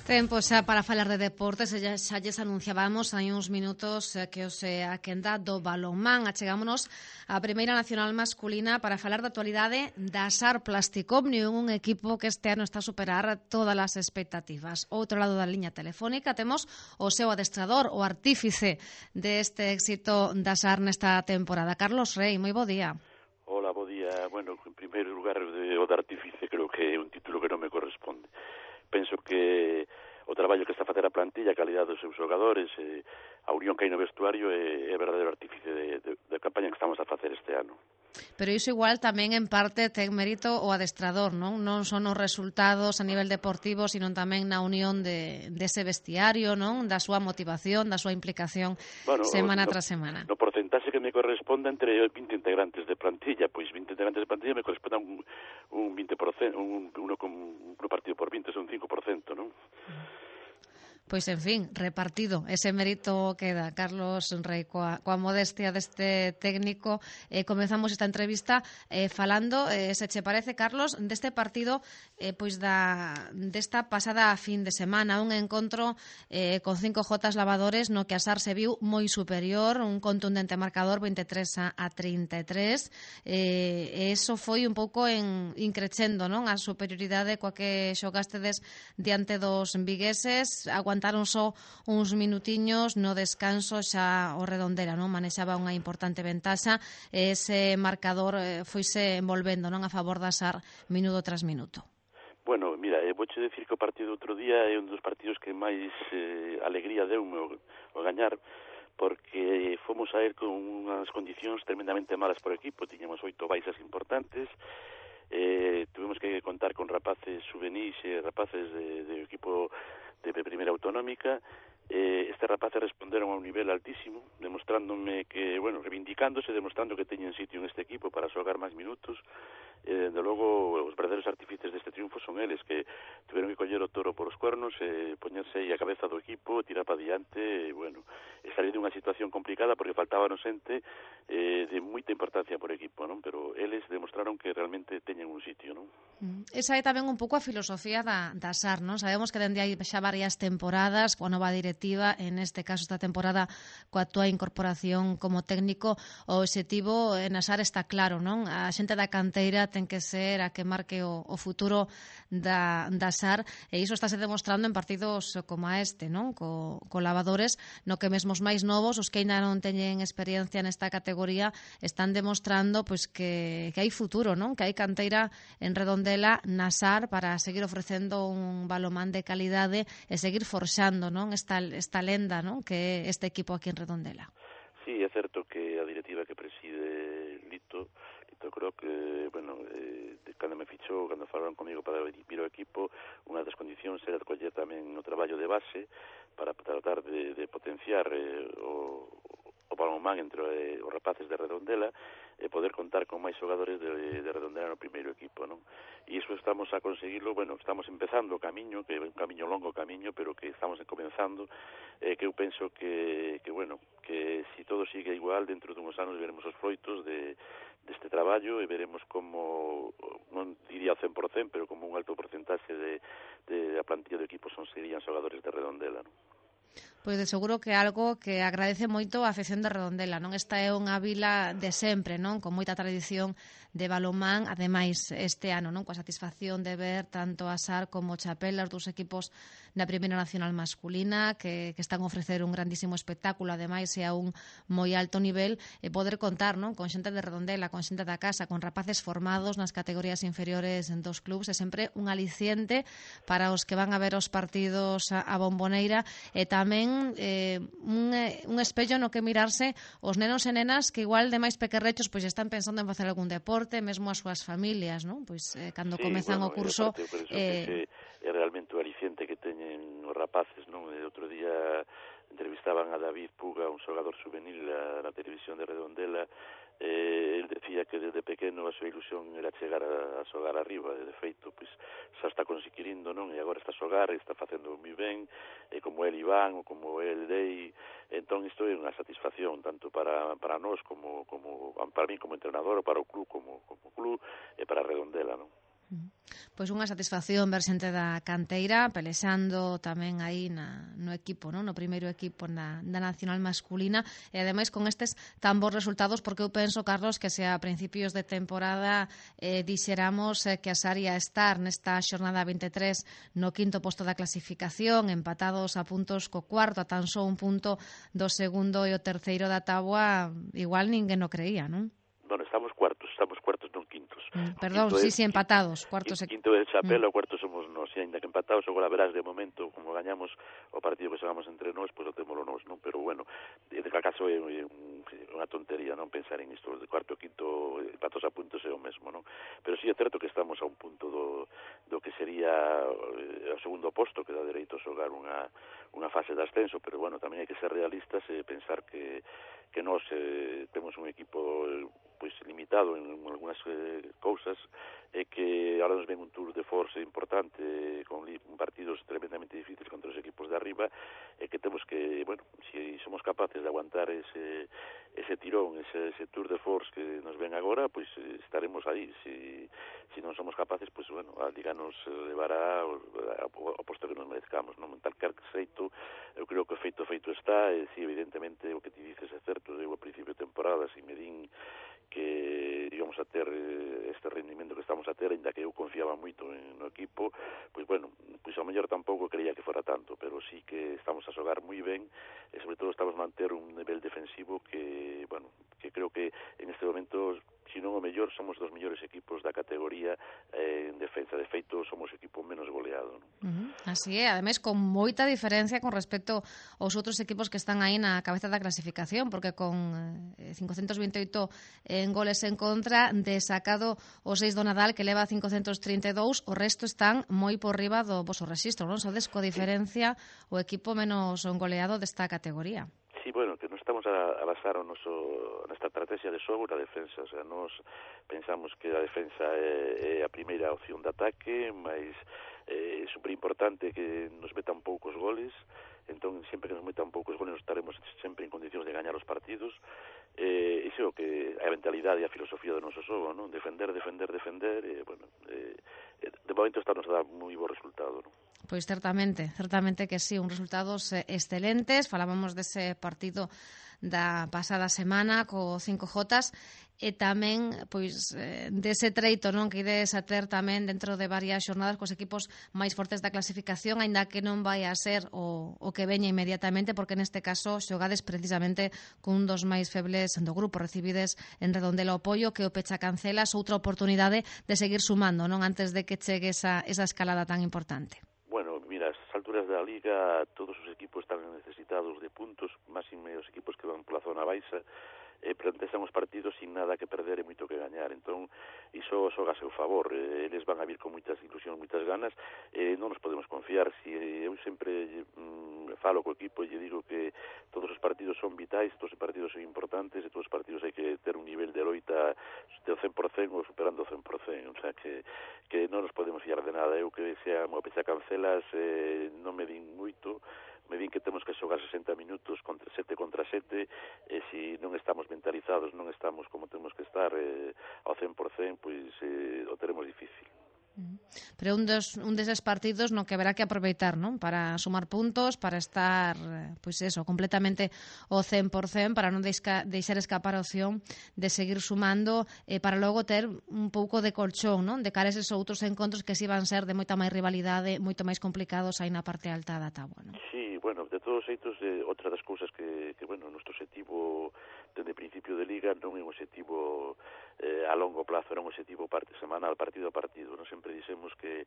Tempo xa para falar de deportes, xa lles anunciábamos hai uns minutos que os a quenda do balonmán. Achegámonos á Primeira Nacional Masculina para falar da actualidade da SAR Plastic Omnium, un equipo que este ano está a superar todas as expectativas. Outro lado da liña telefónica temos o seu adestrador, o artífice deste éxito da SAR nesta temporada. Carlos Rey, moi bo día. Hola, bo día. Bueno, en primeiro lugar, o de artífice creo que é un título que non me corresponde. Penso que o traballo que está a facer a plantilla, a calidade dos seus xogadores, a unión que hai no vestuario é verdadeiro artífice de campaña que estamos a facer este ano. Pero iso igual tamén en parte ten mérito o adestrador, non? Non son os resultados a nivel deportivo, sino tamén na unión dese vestiario, non? Da súa motivación, da súa implicación semana tras semana. No porcentaxe que me corresponde entre 20 integrantes de plantilla, pois 20 integrantes de plantilla me corresponde a un 20%, uno partido por 20, son 5%, non? Pois, en fin, repartido. Ese mérito queda, Carlos Rey, coa modestia deste técnico. Comezamos esta entrevista falando, se che parece, Carlos, deste partido pois desta pasada fin de semana, un encontro con 5 jotas lavadores no que a SAR se viu moi superior, un contundente marcador 23-33, e eso foi un pouco increcendo, non? A superioridade coa que xogastedes diante dos vigueses, aguantaron só uns minutiños no descanso, xa o Redondela non manexaba unha importante ventaxa e ese marcador foise envolvendo non a favor da SAR minuto tras minuto. Bueno, mira, vouche decir que o partido outro día é un dos partidos que máis alegría deu-me o gañar, porque fomos a ir con unhas condicións tremendamente malas por equipo, tiñamos 8 baixas importantes, tuvemos que contar con rapaces juvenis e rapaces de equipo de primeira autonómica. Estes rapaces responderon a un nivel altísimo, demostrándome que, bueno, reivindicándose, demostrando que teñen sitio en este equipo para xogar máis minutos. De logo, os verdadeiros artífices deste triunfo son eles, que tiveron que coller o toro por os cuernos, poñerse aí a cabeza do equipo, tirar para diante, bueno, salir dunha situación complicada porque faltábanos xente de moita importancia por equipo, non? Pero eles demostraron que realmente teñen un sitio, non? Esa é tamén un pouco a filosofía da SAR, non? Sabemos que dende hai xa varias temporadas coa nova directiva, en este caso esta temporada coa túa incorporación como técnico, o obxectivo na SAR está claro, non? A xente da canteira ten que ser a que marque o futuro da SAR, e iso estáse demostrando en partidos como a este, non? Co lavadores, no que mesmo os máis novos, os que ainda non teñen experiencia nesta categoría, están demostrando pois que hai futuro, non? Que hai canteira en Redondela na SAR para seguir ofrecendo un balonmán de calidade e seguir forxando, non? Esta lenda, non? Que é este equipo aquí en Redondela. Sí, é certo que a directiva que preside Lito creo que, bueno, cando me fichou, cando falaron comigo para vir ao equipo, unha das condicións era coller tamén o traballo de base para tratar de potenciar o balonmán entre os rapaces de Redondela e poder contar con máis xogadores de Redondela no primeiro equipo, non? E iso estamos a conseguirlo, bueno, estamos empezando o camiño, que é un camiño longo camiño, pero que estamos comenzando, que eu penso que bueno, que se todo sigue igual, dentro dunhos anos veremos os froitos deste traballo e veremos como, non diría o 100%, pero como un alto porcentaxe de a plantilla do equipo serían xogadores de Redondela, non? Pois de seguro que é algo que agradece moito a afección de Redondela, non? Esta é unha vila de sempre, non? Con moita tradición de balonmán, ademais este ano, non? Coa satisfacción de ver tanto a SAR como o Chapela, os dous equipos na Primeira Nacional Masculina, que están a ofrecer un grandísimo espectáculo, ademais e a un moi alto nivel, e poder contar, non? Con xente de Redondela, con xente da casa, con rapaces formados nas categorías inferiores dos clubs, é sempre un aliciente para os que van a ver os partidos a Bomboneira, e tamén un espello no que mirarse os nenos e nenas que igual de máis pequerrechos pois están pensando en facer algún deporte, mesmo as súas familias, non? Pois cando comezan o curso é realmente o aliciente que teñen os rapaces, non? Outro día entrevistaban a David Puga, un xogador juvenil na televisión de Redondela. El decía que desde pequeno a súa ilusión era chegar a xogar arriba, e de feito pois xa está conseguindo, non? E agora está a xogar, está facendo moi ben, como el Iván ou como el Dei. Entón isto é unha satisfacción tanto para nós como para mí como entrenador, ou para o club como club, e para Redondela, non? Pois unha satisfacción ver xente da canteira pelexando tamén aí no equipo, no primeiro equipo da nacional masculina e ademais con estes tan bons resultados, porque eu penso, Carlos, que se a principios de temporada dixéramos que a Saria estar nesta xornada 23 no quinto posto da clasificación, empatados a puntos co cuarto, a tan só un punto do segundo e o terceiro da táboa, igual ninguén o creía, non? Bueno, estamos cuartos, non quintos. Perdón, sí, empatados, cuartos. Quinto é Chapela, o cuarto somos nós, e ainda que empatados, agora verás de momento, como gañamos o partido que xogamos entre nós, pois o témolo nós, non? Pero bueno, de cal caso é unha tontería non pensar en isto, de cuarto e quinto empatos a puntos é o mesmo, non? Pero sí é certo que estamos a un punto do que sería o segundo posto, que dá dereito a xogar unha fase de ascenso, pero bueno, tamén hai que ser realistas e pensar que nós temos un equipo pois limitado en algunhas cousas e que ahora nos ven un tour de force importante con partidos tremendamente difíciles contra os equipos de arriba e que temos que, bueno, se somos capaces de aguantar ese tirón, ese tour de force que nos ven agora, pois estaremos aí. Se non somos capaces, pois bueno, a Liga nos levará ao posto que nos merezcamos, non? En tal xeito, eu creo que o feito está, e si evidentemente o que ti dices é certo, eu a principio de temporada, se me din que íbamos a ter este rendimento que estamos a ter, ainda que eu confiaba moito no equipo, pois bueno, pois ao mellor tampouco creía que fora tanto, pero sí que estamos a xogar moi ben e sobre todo estamos a manter un nivel defensivo que, bueno, que creo que en este momento, se non o mellor, somos dos mellores equipos da categoría en defensa. De feito, somos o equipo menos goleado, non? Así é, ademais con moita diferencia con respecto aos outros equipos que están aí na cabeza da clasificación, porque con 528 en goles en contra, desacado o 6 do Nadal, que leva 532, o resto están moi por riba do voso rexistro, non? Sodes co diferencia o equipo menos goleado desta categoría. Sí, bueno, que non estamos a basar nesta estrategia de xogo na defensa, o sea, nos pensamos que a defensa é a primeira opción de ataque, mas é super importante que nos metan poucos goles, entón sempre que nos metan poucos goles nos estaremos sempre en condicións de gañar os partidos, iso é o que a mentalidade e a filosofía do noso xogo, non? Defender, e, bueno, de momento está nos a dar moi bo resultado, non? Pois certamente que sí, uns resultados excelentes. Falábamos dese partido da pasada semana co 5J e tamén pois dese treito, non, que ides a ter tamén dentro de varias xornadas cos equipos máis fortes da clasificación, aínda que non vai a ser o que veña inmediatamente, porque neste caso xogades precisamente cun dos máis febles do grupo. Recibides en Redondela o Pollo, que o Pecha Cancelas, outra oportunidade de seguir sumando, non, antes de que chegue esa escalada tan importante. Bueno, mira, a estas alturas da Liga todos os equipos están necesitados de puntos, máxime os equipos que van pola zona baixa, plantean os partidos sin nada que perder e moito que gañar, entón iso xoga a seu favor, eles van a vir con moitas ilusións, moitas ganas, non nos podemos confiar. Eu sempre falo co equipo e lle digo que todos os partidos son vitais, todos os partidos son importantes e todos os partidos hai que ter un nivel de loita do 100% ou superando o 100%, o sea que non nos podemos fiar de nada. Eu que sea mo Pecha Cancelas non me din moito, me din que temos que xogar 60 minutos contra 7 e se non estamos mentalizados, non estamos como temos que estar ao 100%, pois o teremos difícil. Pero un deses partidos no que haberá que aproveitar, non? Para sumar puntos, para estar, pois eso, completamente ao 100%, para non deixar escapar a opción de seguir sumando, para logo ter un pouco de colchón, non? De cara a eses outros encontros que si van ser de moita máis rivalidade, moito máis complicados aí na parte alta da táboa, non? Sí, bueno, de todos os xeitos, outra das cousas que bueno, o noso objetivo dende principio de Liga non é un objetivo a longo plazo, era un objetivo semanal, partido a partido. Nos sempre dixemos que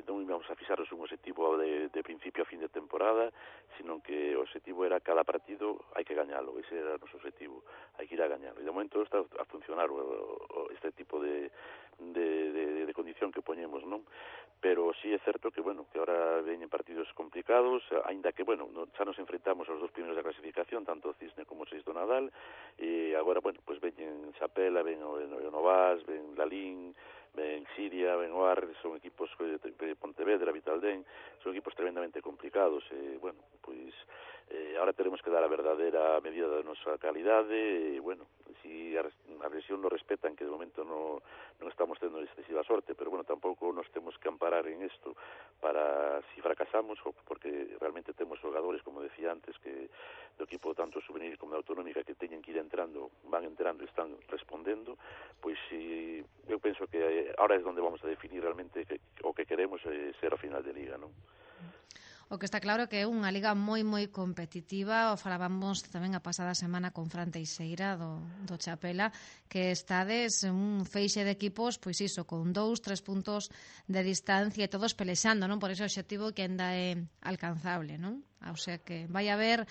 non íbamos a fixarnos un objetivo de principio a fin de temporada, sino que o objetivo era cada partido hai que gañalo, ese era o noso objetivo, hai que ir a gañalo. E de momento está a funcionar este tipo de condición que poñemos, non? Pero sí é certo que, bueno, que ahora veñen partidos complicados, aínda que, bueno, xa nos enfrentamos aos dos primeiros da clasificación, tanto o Cisne como o 6 do Nadal, e agora, bueno, pues veñen Chapela, ven o Novas, ven Lalín, ven Siria, ven Oar, son equipos de Pontevedra, Vitaldén, son equipos tremendamente complicados, e, bueno, pois ahora teremos que dar a verdadeira medida da nosa calidade, e, bueno, si a lesión nos respetan, que de momento non estamos tendo excesiva sorte, pero bueno, tampouco nos temos que amparar en isto para si fracasamos, porque realmente temos xogadores, como decía antes, que do equipo tanto juvenil como da autonómica que teñen que ir entrando, van entrando e están respondendo, pois si, eu penso que ahora é onde vamos a definir realmente o que queremos ser a final de liga, non? O que está claro que é unha liga moi competitiva. O falábamos tamén a pasada semana con Fran Teixeira do Chapela, que estades un feixe de equipos, pois iso, con 2-3 puntos de distancia e todos pelexando, non? Por ese obxectivo que ainda é alcanzable, non? O sea que vai haber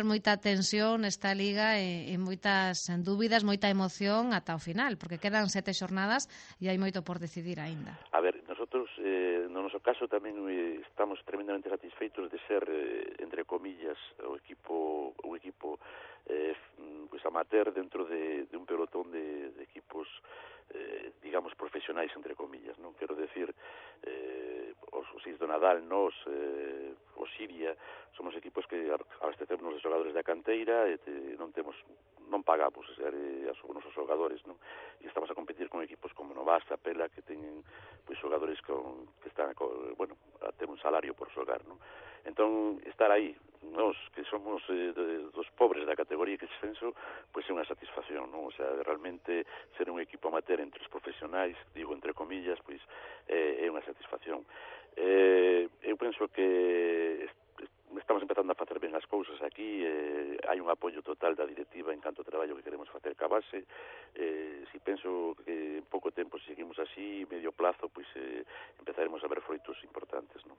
moita tensión nesta liga e moitas dúbidas, moita emoción ata o final, porque quedan 7 xornadas e hai moito por decidir aínda. A ver, nosotros no noso caso tamén estamos tremendamente satisfeitos de ser, entre comillas, un equipo pues amateur dentro de un pelotón de equipos digamos profesionais, entre comillas, non quero decir os Seis do Nadal, nos o Siria, somos equipos que abastecemos de xogadores da canteira e non pagamos os nosos xogadores, non? E estamos a competir con equipos como Novasa, Pela, que teñen pois xogadores que están bueno, a ter un salario por xogar, non? Entón, estar aí, nós que somos dos pobres da categoría que descenso, pois é unha satisfacción, non? O sea, realmente ser un equipo amateur entre os profesionais, digo entre comillas, pois é unha satisfacción. Eu penso que estamos empezando a facer ben as cousas aquí, hai un apoio total da directiva en canto ao traballo que queremos facer ca base. Si penso que en pouco tempo, se seguimos así, medio plazo, pois empezaremos a ver froitos importantes, non?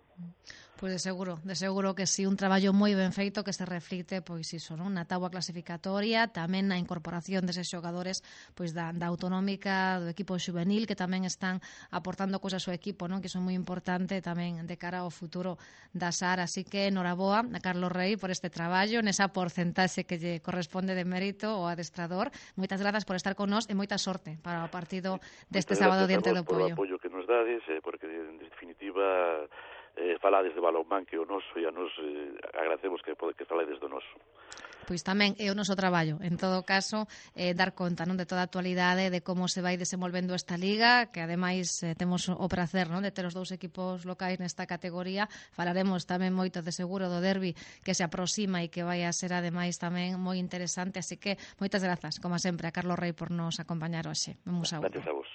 Pois de seguro que sí, un traballo moi ben feito que se reflicte, pois iso, non? Na táboa clasificatoria, tamén na incorporación deses xogadores pois da autonómica, do equipo juvenil, que tamén están aportando cousas ao equipo, non? Que son moi importante tamén de cara ao futuro da SAR, así que noraboa a Carlos Rey por este traballo, nesa porcentaxe que lle corresponde de mérito ao adestrador. Moitas grazas por estar con nós e moita sorte para o partido deste sábado diante do Poio. Por o apoio que nos dades, porque en definitiva falades de balonmán que o noso e a nos agradecemos que falades do noso. Pois tamén é o noso traballo, en todo caso, dar conta, non, de toda a actualidade, de como se vai desenvolvendo esta liga, que ademais temos o prazer, non, de ter os dous equipos locais nesta categoría. Falaremos tamén moito de seguro do derbi que se aproxima e que vai a ser ademais tamén moi interesante, así que moitas grazas, como sempre, a Carlos Rey por nos acompañar hoxe. Gracias a vos.